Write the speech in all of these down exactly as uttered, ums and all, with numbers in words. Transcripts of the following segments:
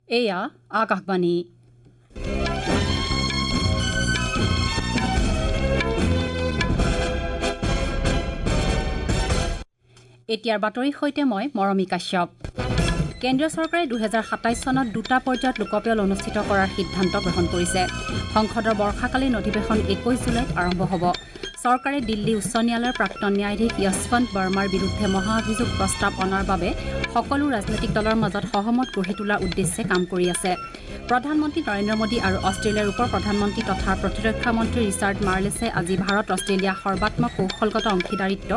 এয়া আকাশবাণী। এতিয়াৰ বাতৰিৰ সৈতে মই মৰমী কাশ্যপ। কেন্দ্ৰীয় চৰকাৰে দুহেজাৰ সাতাইছ চনত দুটা পৰ্যায়ত লোকপিয়ল অনুষ্ঠিত কৰাৰ সিদ্ধান্ত গ্ৰহণ কৰিছে। সংসদৰ বৰ্ষাকালীন অধিৱেশন একৈশ জুলাইত আৰম্ভ হ'ব। চৰকাৰে দিল্লী উচ্চ ন্যায়ালয়ৰ প্ৰাক্তন ন্যায়াধীশ য়শৱন্ত বৰ্মাৰ বিৰুদ্ধে মহাঅভিযোগ প্ৰস্তাৱ অনাৰ বাবে সকলো ৰাজনৈতিক দলৰ মাজত সহমত গঢ়ি তোলাৰ উদ্দেশ্যে কাম কৰি আছে। প্ৰধানমন্ত্ৰী নৰেন্দ্ৰ মোদী আৰু অষ্ট্ৰেলিয়াৰ উপ প্ৰধানমন্ত্ৰী তথা প্ৰতিৰক্ষা মন্ত্ৰী ৰিচাৰ্ড মাৰ্লেছে আজি ভাৰত অষ্ট্ৰেলিয়া সৰ্বাত্মক কৌশলগত অংশীদাৰিত্ব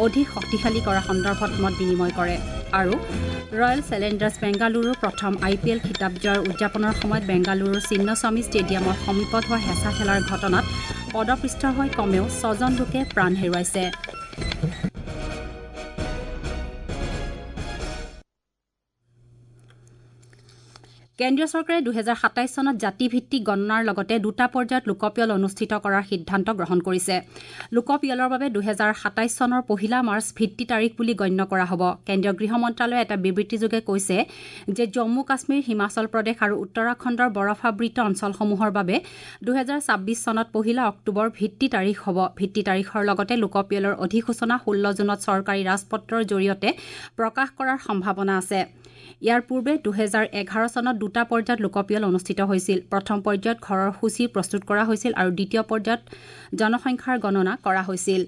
অধিক শক্তিশালী কৰা সন্দৰ্ভত মত বিনিময় কৰে। আৰু ৰয়েল চেলেঞ্জাৰ্ছ বেংগালুৰুৰ প্ৰথম আই পি এল খিতাপ জয়ৰ উদযাপনৰ সময়ত বেংগালুৰুৰ চিন্নস্বামী ষ্টেডিয়ামৰ সমীপত হোৱা হেঁচা ঠেলাৰ ঘটনাত পদপৃষ্ঠ হৈ কমেও ছজন লোকে প্ৰাণ হেৰুৱাইছে। কেন্দ্ৰীয় চৰকাৰে দুহেজাৰ সাতাইছ চনত জাতিভিত্তিক গণনাৰ লগতে দুটা পৰ্যায়ত লোকপিয়ল অনুষ্ঠিত কৰাৰ সিদ্ধান্ত গ্ৰহণ কৰিছে। লোকপিয়লৰ বাবে দুহেজাৰ সাতাইছ চনৰ পহিলা মাৰ্চ ভিত্তি তাৰিখ বুলি গণ্য কৰা হ'ব। কেন্দ্ৰীয় গৃহ মন্ত্ৰালয়ে এটা বিবৃতিযোগে কৈছে যে জম্মু কাশ্মীৰ, হিমাচল প্ৰদেশ আৰু উত্তৰাখণ্ডৰ বৰফাবৃত অঞ্চলসমূহৰ বাবে দুহেজাৰ ছাব্বিছ চনত পহিলা অক্টোবৰ ভিত্তি তাৰিখ হ'ব। ভিত্তি তাৰিখৰ লগতে লোকপিয়লৰ অধিসূচনা ষোল্ল জুনত চৰকাৰী ৰাজপত্ৰৰ জৰিয়তে প্ৰকাশ কৰাৰ সম্ভাৱনা আছে। ইয়াৰ পূৰ্বে দুহেজাৰ এঘাৰ চনত দুটা পৰ্যায়ত লোকপিয়ল অনুষ্ঠিত হৈছিল। প্ৰথম পৰ্যায়ত ঘৰৰ সূচী প্ৰস্তুত কৰা হৈছিল আৰু দ্বিতীয় পৰ্যায়ত জনসংখ্যাৰ গণনা কৰা হৈছিল।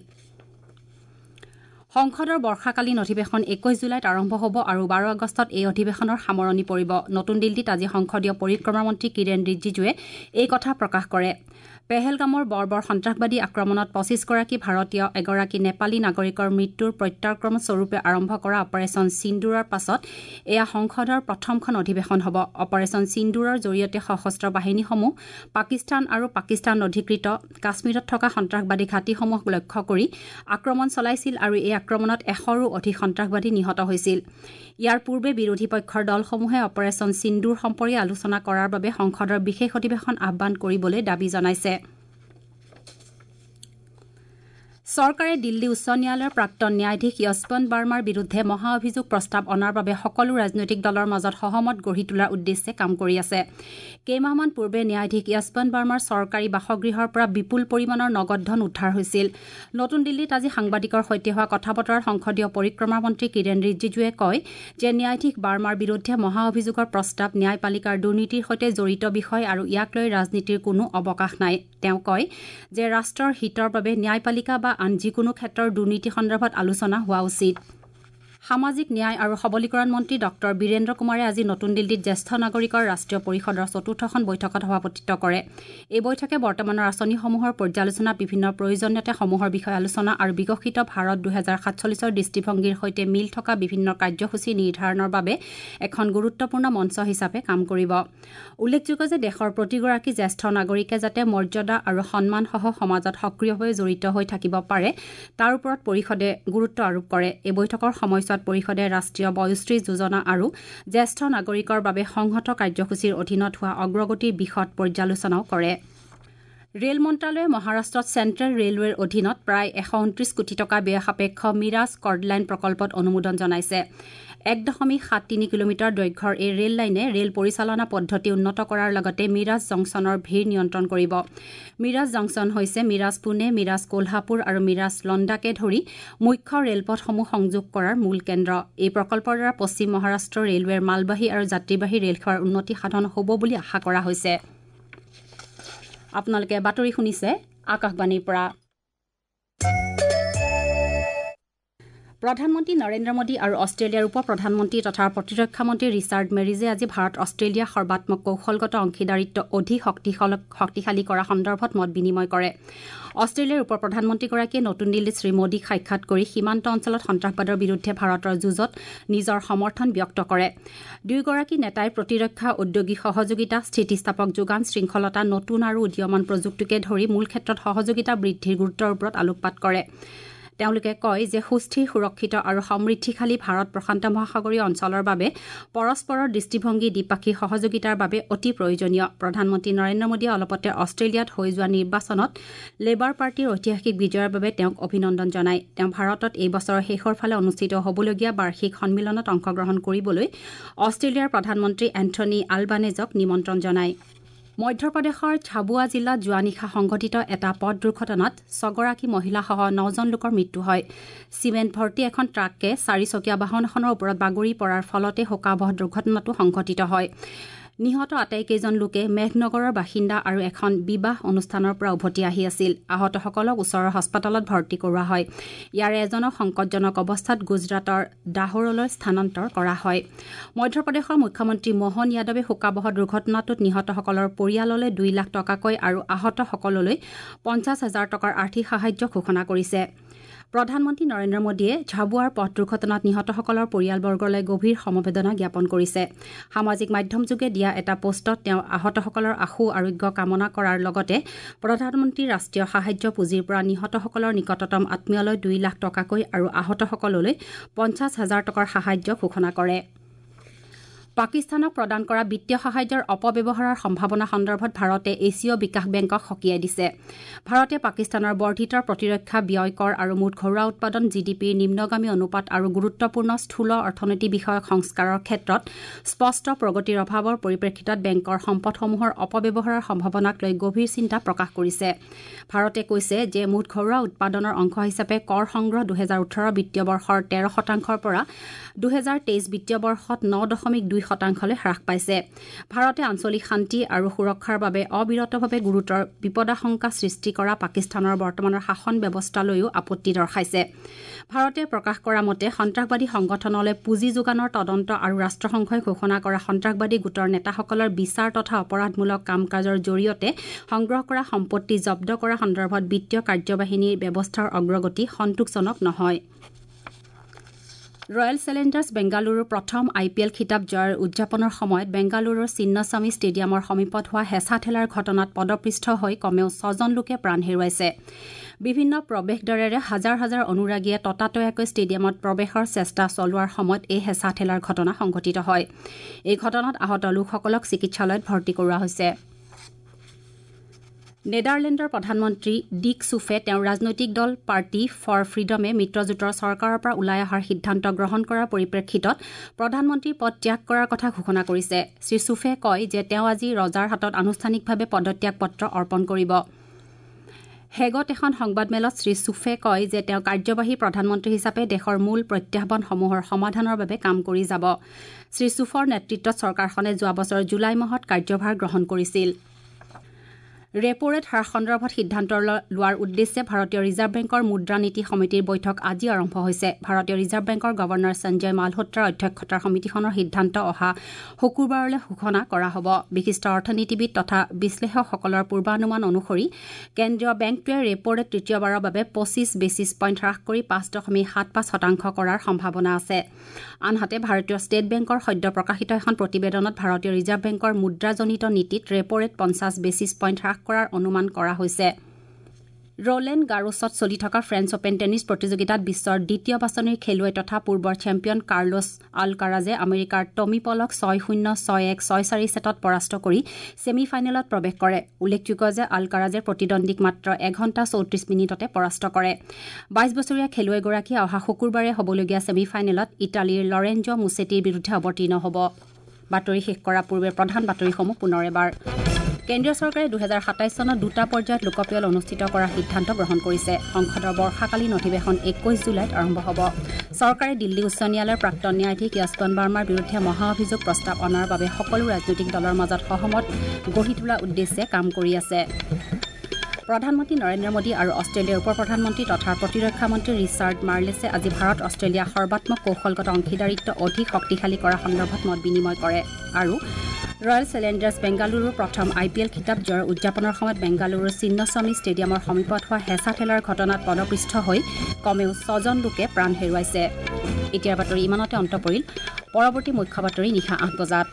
সংসদৰ বৰ্ষাকালীন অধিৱেশন একৈশ জুলাইত আৰম্ভ হ'ব আৰু বাৰ আগষ্টত এই অধিৱেশনৰ সামৰণি পৰিব। নতুন দিল্লীত আজি সংসদীয় পৰিক্ৰমা মন্ত্ৰী কিৰেণ ৰিজিজুৱে এই কথা প্ৰকাশ কৰে। পেহেলগামৰ বৰ্বৰ সন্ত্ৰাসবাদী আক্ৰমণত পঁচিছগৰাকী ভাৰতীয়, এগৰাকী নেপালী নাগৰিকৰ মৃত্যুৰ প্ৰত্যাক্ৰম স্বৰূপে আৰম্ভ কৰা অপাৰেচন সিন্দুৰৰ পাছত এয়া সংসদৰ প্ৰথমখন অধিৱেশন হ'ব। অপাৰেচন সিন্দুৰৰ জৰিয়তে সশস্ত্ৰ বাহিনীসমূহ পাকিস্তান আৰু পাকিস্তান অধিকৃত কাশ্মীৰত থকা সন্ত্ৰাসবাদী ঘাটিসমূহক লক্ষ্য কৰি আক্ৰমণ চলাইছিল আৰু এই আক্ৰমণত এশৰো অধিক সন্ত্ৰাসবাদী নিহত হৈছিল। ইয়াৰ পূৰ্বে বিৰোধী পক্ষৰ দলসমূহে অপাৰেচন সিন্দুৰ সম্পৰ্কে আলোচনা কৰাৰ বাবে সংসদৰ বিশেষ অধিৱেশন আহ্বান কৰিবলৈ দাবী জনাইছে। চৰকাৰে দিল্লী উচ্চ ন্যায়ালয়ৰ প্ৰাক্তন ন্যায়াধীশ য়শৱন্ত বাৰ্মাৰ বিৰুদ্ধে মহাঅভিযোগ প্ৰস্তাৱ অনাৰ বাবে সকলো ৰাজনৈতিক দলৰ মাজত সহমত গঢ়ি তোলাৰ উদ্দেশ্যে কাম কৰি আছে। কেইমাহমান পূৰ্বে ন্যায়াধীশ য়শৱন্ত বাৰ্মাৰ চৰকাৰী বাসগৃহৰ পৰা বিপুল পৰিমাণৰ নগদ ধন উদ্ধাৰ হৈছিল। নতুন দিল্লীত আজি সাংবাদিকৰ সৈতে হোৱা কথা বতৰাত সংসদীয় পৰিক্ৰমা মন্ত্ৰী কিৰেণ ৰিজিজুৱে কয় যে ন্যায়াধীশ বাৰ্মাৰ বিৰুদ্ধে মহাঅভিযোগৰ প্ৰস্তাৱ ন্যায়পালিকাৰ দুৰ্নীতিৰ সৈতে জড়িত বিষয় আৰু ইয়াক লৈ ৰাজনীতিৰ কোনো অৱকাশ নাই। তেওঁ কয় যে ৰাষ্ট্ৰৰ হিতৰ বাবে ন্যায়পালিকা বা আন যিকোনো ক্ষেত্ৰৰ দুৰ্নীতি সন্দৰ্ভত আলোচনা হোৱা উচিত। সামাজিক ন্যায় আৰু সবলীকৰণ মন্ত্ৰী ডক্টৰ বীৰেন্দ্ৰ কুমাৰে আজি নতুন দিল্লীত জ্যেষ্ঠ নাগৰিকৰ ৰাষ্ট্ৰীয় পৰিষদৰ চতুৰ্থখন বৈঠকত সভাপতিত্ব কৰে। এই বৈঠকে বৰ্তমানৰ আঁচনিসমূহৰ পৰ্যালোচনা, বিভিন্ন প্ৰয়োজনীয়তাসমূহৰ বিষয়ে আলোচনা আৰু বিকশিত ভাৰত দুহেজাৰ সাতচল্লিছৰ দৃষ্টিভংগীৰ সৈতে মিল থকা বিভিন্ন কাৰ্যসূচী নিৰ্ধাৰণৰ বাবে এখন গুৰুত্বপূৰ্ণ মঞ্চ হিচাপে কাম কৰিব। উল্লেখযোগ্য যে দেশৰ প্ৰতিগৰাকী জ্যেষ্ঠ নাগৰিকে যাতে মৰ্যাদা আৰু সন্মানসহ সমাজত সক্ৰিয়ভাৱে জড়িত হৈ থাকিব পাৰে তাৰ ওপৰত পৰিষদে গুৰুত্ব আৰোপ কৰে। এই বৈঠকৰ সময়ছোৱাত পৰিষদে ৰাষ্ট্ৰীয় বয়োশ্ৰী যোজনা আৰু জ্যেষ্ঠ নাগৰিকৰ বাবে সংহত কাৰ্যসূচীৰ অধীনত হোৱা অগ্ৰগতিৰ বিশদ পৰ্যালোচনাও কৰে। ৰেল মন্ত্ৰালয়ে মহাৰাষ্ট্ৰত চেণ্ট্ৰেল ৰেলৱেৰ অধীনত প্ৰায় এশ ঊনত্ৰিছ কোটি টকা ব্যয় সাপেক্ষ মিৰাজ কৰ্ডলাইন প্ৰকল্পত অনুমোদন জনাইছে। এক দশমিক সাত তিনি কিলোমিটাৰ দৈৰ্ঘ্যৰ এই ৰেল লাইনে ৰেল পৰিচালনা পদ্ধতি উন্নত কৰাৰ লগতে মিৰাজ জংচনৰ ভিৰ নিয়ন্ত্ৰণ কৰিব। মিৰাজ জংচন হৈছে মিৰাজ পুনে, মিৰাজ কোলহাপুৰ আৰু মিৰাজ লণ্ডাকে ধৰি মুখ্য ৰেলপথসমূহ সংযোগ কৰাৰ মূল কেন্দ্ৰ। এই প্ৰকল্পৰ দ্বাৰা পশ্চিম মহাৰাষ্ট্ৰ ৰেলৱেৰ মালবাহী আৰু যাত্ৰীবাহী ৰেলসেৱাৰ উন্নতি সাধন হ'ব বুলি আশা কৰা হৈছে। আপোনালোকে বাতৰি শুনিছে আকাশবাণীৰ পৰা। প্ৰধানমন্ত্ৰী নৰেন্দ্ৰ মোদী আৰু অষ্ট্ৰেলিয়াৰ উপ প্ৰধানমন্ত্ৰী তথা প্ৰতিৰক্ষা মন্ত্ৰী ৰিচাৰ্ড মেৰিজে আজি ভাৰত অষ্ট্ৰেলিয়া সৰ্বাত্মক কৌশলগত অংশীদাৰিত্ব অধিক শক্তিশালী কৰা সন্দৰ্ভত মত বিনিময় কৰে। অষ্ট্ৰেলিয়াৰ উপ প্ৰধানমন্ত্ৰীগৰাকীয়ে নতুন দিল্লীত শ্ৰীমোদীক সাক্ষাৎ কৰি সীমান্ত অঞ্চলত সন্ত্ৰাসবাদৰ বিৰুদ্ধে ভাৰতৰ যুঁজত নিজৰ সমৰ্থন ব্যক্ত কৰে। দুয়োগৰাকী নেতাই প্ৰতিৰক্ষা, ঔদ্যোগিক সহযোগিতা, স্থিতিস্থাপক যোগান শৃংখলতা, নতুন আৰু উদীয়মান প্ৰযুক্তিকে ধৰি মূল ক্ষেত্ৰত সহযোগিতা বৃদ্ধিৰ গুৰুত্বৰ ওপৰত আলোকপাত কৰে। তেওঁলোকে কয় যে সুস্থিৰ, সুৰক্ষিত আৰু সমৃদ্ধিশালী ভাৰত প্ৰশান্ত মহাসাগৰীয় অঞ্চলৰ বাবে পৰস্পৰৰ দৃষ্টিভংগী দ্বিপাক্ষিক সহযোগিতাৰ বাবে অতি প্ৰয়োজনীয়। প্ৰধানমন্ত্ৰী নৰেন্দ্ৰ মোদীয়ে অলপতে অষ্ট্ৰেলিয়াত হৈ যোৱা নিৰ্বাচনত লেবাৰ পাৰ্টীৰ ঐতিহাসিক বিজয়ৰ বাবে তেওঁক অভিনন্দন জনায়। তেওঁ ভাৰতত এই বছৰৰ শেষৰ ফালে অনুষ্ঠিত হ'বলগীয়া বাৰ্ষিক সন্মিলনত অংশগ্ৰহণ কৰিবলৈ অষ্ট্ৰেলিয়াৰ প্ৰধানমন্ত্ৰী এন্থনী আলবানেজক নিমন্ত্ৰণ জনায়। মধ্যপ্ৰদেশৰ ঝাবুৱা জিলাত যোৱা নিশা সংঘটিত এটা পথ দুৰ্ঘটনাত ছগৰাকী মহিলাসহ নজন লোকৰ মৃত্যু হয়। চিমেণ্ট ভৰ্তি এখন ট্ৰাকে চাৰিচকীয়া বাহন এখনৰ ওপৰত বাগৰি পৰাৰ ফলতে শোকাৱহ দুৰ্ঘটনাটো সংঘটিত হয়। নিহত আটাইকেইজন লোকে মেঘনগৰৰ বাসিন্দা আৰু এখন বিবাহ অনুষ্ঠানৰ পৰা উভতি আহি আছিল। আহতসকলক ওচৰৰ হাস্পতালত ভৰ্তি কৰোৱা হয়। ইয়াৰে এজনক সংকটজনক অৱস্থাত গুজৰাটৰ দাহোৰলৈ স্থানান্তৰ কৰা হয়। মধ্যপ্ৰদেশৰ মুখ্যমন্ত্ৰী মোহন যাদৱে শোকাৱহ দুৰ্ঘটনাটোত নিহতসকলৰ পৰিয়াললৈ দুই লাখ টকাকৈ আৰু আহতসকললৈ পঞ্চাছ হাজাৰ টকাৰ আৰ্থিক সাহায্য ঘোষণা কৰিছে। প্ৰধানমন্ত্ৰী নৰেন্দ্ৰ মোদীয়ে ঝাবুৱাৰ পথ দুৰ্ঘটনাত নিহতসকলৰ পৰিয়ালবৰ্গলৈ গভীৰ সমবেদনা জ্ঞাপন কৰিছে। সামাজিক মাধ্যমযোগে দিয়া এটা পোষ্টত তেওঁ আহতসকলৰ আশু আৰোগ্য কামনা কৰাৰ লগতে প্ৰধানমন্ত্ৰী ৰাষ্ট্ৰীয় সাহায্য পুঁজিৰ পৰা নিহতসকলৰ নিকটতম আত্মীয়লৈ দুই লাখ টকাকৈ আৰু আহতসকললৈ পঞ্চাছ হাজাৰ টকাৰ সাহায্য ঘোষণা কৰে। পাকিস্তানক প্ৰদান কৰা বিত্তীয় সাহায্যৰ অপব্যৱহাৰৰ সম্ভাৱনা সন্দৰ্ভত ভাৰতে এছীয় বিকাশ বেংকক সকীয়াই দিছে। ভাৰতে পাকিস্তানৰ বৰ্ধিত প্ৰতিৰক্ষা ব্যয় কৰ আৰু মুঠ ঘৰুৱা উৎপাদন জি ডি পিৰ নিম্নগামী অনুপাত আৰু গুৰুত্বপূৰ্ণ স্থূল অৰ্থনীতি বিষয়ক সংস্কাৰৰ ক্ষেত্ৰত স্পষ্ট প্ৰগতিৰ অভাৱৰ পৰিপ্ৰেক্ষিতত বেংকৰ সম্পদসমূহৰ অপব্যৱহাৰৰ সম্ভাৱনাক লৈ গভীৰ চিন্তা প্ৰকাশ কৰিছে। ভাৰতে কৈছে যে মুঠ ঘৰুৱা উৎপাদনৰ অংশ হিচাপে কৰ সংগ্ৰহ দুহেজাৰ ওঠৰ বিত্তীয় বৰ্ষৰ তেৰ শতাংশৰ পৰা দুহেজাৰ তেইছ বিত্তীয় বৰ্ষত ন দশমিক দুই শতাংশলৈ হ্ৰাস পাইছে। ভাৰতে আঞ্চলিক শান্তি আৰু সুৰক্ষাৰ বাবে অবিৰতভাৱে গুৰুতৰ বিপদাশংকা সৃষ্টি কৰা পাকিস্তানৰ বৰ্তমানৰ শাসন ব্যৱস্থালৈও আপত্তি দৰ্শাইছে। ভাৰতে প্ৰকাশ কৰা মতে সন্ত্ৰাসবাদী সংগঠনলৈ পুঁজি যোগানৰ তদন্ত আৰু ৰাষ্ট্ৰসংঘই ঘোষণা কৰা সন্ত্ৰাসবাদী গোটৰ নেতাসকলৰ বিচাৰ তথা অপৰাধমূলক কাম কাজৰ জৰিয়তে সংগ্ৰহ কৰা সম্পত্তি জব্দ কৰা সন্দৰ্ভত বিত্তীয় কাৰ্যবাহিনীৰ ব্যৱস্থাৰ অগ্ৰগতি সন্তোষজনক নহয়। ৰয়েল চেলেঞ্জাৰ্ছ বেংগালুৰুৰ প্ৰথম আই পি এল খিতাপ জয়ৰ উদযাপনৰ সময়ত বেংগালুৰুৰ চিন্নস্বামী ষ্টেডিয়ামৰ সমীপত হোৱা হেঁচা ঠেলাৰ ঘটনাত পদপৃষ্ঠ হৈ কমেও ছজন লোকে প্ৰাণ হেৰুৱাইছে। বিভিন্ন প্ৰৱেশদ্বাৰেৰে হাজাৰ হাজাৰ অনুৰাগীয়ে ততাতৈয়াকৈ ষ্টেডিয়ামত প্ৰৱেশৰ চেষ্টা চলোৱাৰ সময়ত এই হেঁচা ঠেলাৰ ঘটনা সংঘটিত হয়। এই ঘটনাত আহত লোকসকলক চিকিৎসালয়ত ভৰ্তি কৰোৱা হৈছে। নেডাৰলেণ্ডৰ প্ৰধানমন্ত্ৰী ডিক চুফে তেওঁৰ ৰাজনৈতিক দল পাৰ্টি ফৰ ফ্ৰীডমে মিত্ৰজোঁটৰ চৰকাৰৰ পৰা ওলাই অহাৰ সিদ্ধান্ত গ্ৰহণ কৰাৰ পৰিপ্ৰেক্ষিতত প্ৰধানমন্ত্ৰীৰ পদ ত্যাগ কৰাৰ কথা ঘোষণা কৰিছে। শ্ৰী চুফে কয় যে তেওঁ আজি ৰজাৰ হাতত আনুষ্ঠানিকভাৱে পদত্যাগ পত্ৰ অৰ্পণ কৰিব। হেগত এখন সংবাদমেলত শ্ৰী চুফে কয় যে তেওঁ কাৰ্যবাহী প্ৰধানমন্ত্ৰী হিচাপে দেশৰ মূল প্ৰত্যাহ্বানসমূহৰ সমাধানৰ বাবে কাম কৰি যাব। শ্ৰী চুফৰ নেতৃত্বত চৰকাৰখনে যোৱা বছৰ জুলাই মাহত কাৰ্যভাৰ গ্ৰহণ কৰিছিল। ৰেপ' ৰেট হ্ৰাস সন্দৰ্ভত সিদ্ধান্ত লোৱাৰ উদ্দেশ্যে ভাৰতীয় ৰিজাৰ্ভ বেংকৰ মুদ্ৰা নীতি সমিতিৰ বৈঠক আজি আৰম্ভ হৈছে। ভাৰতীয় ৰিজাৰ্ভ বেংকৰ গৱৰ্ণৰ সঞ্জয় মালহোত্ৰাৰ অধ্যক্ষতাৰ সমিতিখনৰ সিদ্ধান্ত অহা শুকুৰবাৰলৈ ঘোষণা কৰা হ'ব। বিশিষ্ট অৰ্থনীতিবিদ তথা বিশ্লেষকসকলৰ পূৰ্বানুমান অনুসৰি কেন্দ্ৰীয় বেংকটোৱে ৰেপ' ৰেট তৃতীয়বাৰৰ বাবে পঁচিছ বেছিছ পইণ্ট হ্ৰাস কৰি পাঁচ দশমিক সাত পাঁচ শতাংশ কৰাৰ সম্ভাৱনা আছে। আনহাতে ভাৰতীয় ষ্টেট বেংকৰ সদ্য প্ৰকাশিত এখন প্ৰতিবেদনত ভাৰতীয় ৰিজাৰ্ভ বেংকৰ মুদ্ৰাজনিত নীতিত ৰেপ' ৰেট পঞ্চাছ বেছিছ পইণ্ট হ্ৰাস কৰাৰ অনুমান কৰা হৈছে। ৰলেণ্ড গাৰোছত চলি থকা ফ্ৰেঞ্চ অপেন টেনিছ প্ৰতিযোগিতাত বিশ্বৰ দ্বিতীয় বাছনিৰ খেলুৱৈ তথা পূৰ্বৰ চেম্পিয়ন কাৰ্লোছ আলকাৰাজে আমেৰিকাৰ টমি পলক ছয় শূন্য ছয় এক ছয় চাৰি ছেটত পৰাস্ত কৰি ছেমি ফাইনেলত প্ৰৱেশ কৰে। উল্লেখযোগ্য যে আলকাৰাজে প্ৰতিদ্বন্দ্বীক মাত্ৰ এঘণ্টা চৌত্ৰিছ মিনিটতে পৰাস্ত কৰে। বাইছ বছৰীয়া খেলুৱৈগৰাকীয়ে অহা শুকুৰবাৰে হ'বলগীয়া ছেমি ফাইনেলত ইটালীৰ লৰেঞ্জ মুছেটিৰ বিৰুদ্ধে অৱতীৰ্ণ হ'ব। বাতৰি শেষ কৰাৰ পূৰ্বে প্ৰধান বাতৰিসমূহ পুনৰ এবাৰ। কেন্দ্ৰীয় চৰকাৰে দুহেজাৰ সাতাইছ চনত দুটা পৰ্যায়ত লোকপিয়ল অনুষ্ঠিত কৰাৰ সিদ্ধান্ত গ্ৰহণ কৰিছে। সংসদৰ বৰ্ষাকালীন অধিৱেশন একৈশ জুলাইত আৰম্ভ হ'ব। চৰকাৰে দিল্লী উচ্চ ন্যায়ালয়ৰ প্ৰাক্তন ন্যায়াধীশ য়শৱন্ত বাৰ্মাৰ বিৰুদ্ধে মহা অভিযোগ প্ৰস্তাৱ অনাৰ বাবে সকলো ৰাজনৈতিক দলৰ মাজত সহমত গঢ়ি তোলাৰ উদ্দেশ্যে কাম কৰি আছে। প্ৰধানমন্ত্ৰী নৰেন্দ্ৰ মোদী আৰু অষ্ট্ৰেলিয়াৰ উপ প্ৰধানমন্ত্ৰী তথা প্ৰতিৰক্ষা মন্ত্ৰী ৰিচাৰ্ড মাৰ্লেছে আজি ভাৰত অষ্ট্ৰেলিয়া সৰ্বাত্মক কৌশলগত অংশীদাৰিত্ব অধিক শক্তিশালী কৰা সন্দৰ্ভত মত বিনিময় কৰে। আৰু ৰয়েল চেলেঞ্জাৰ্ছ বেংগালুৰুৰ প্ৰথম আই পি এল খিতাপ জয়ৰ উদযাপনৰ সময়ত বেংগালুৰুৰ চিন্নস্বামী ষ্টেডিয়ামৰ সমীপত হোৱা হেঁচা ঠেলাৰ ঘটনাত পদপৃষ্ঠ হৈ কমেও ছজন লোকে প্ৰাণ হেৰুৱাইছে। এতিয়াৰ বাতৰি ইমানতে অন্ত পৰিল। পৰৱৰ্তী মুখ্য বাতৰি নিশা আঠ বজাত।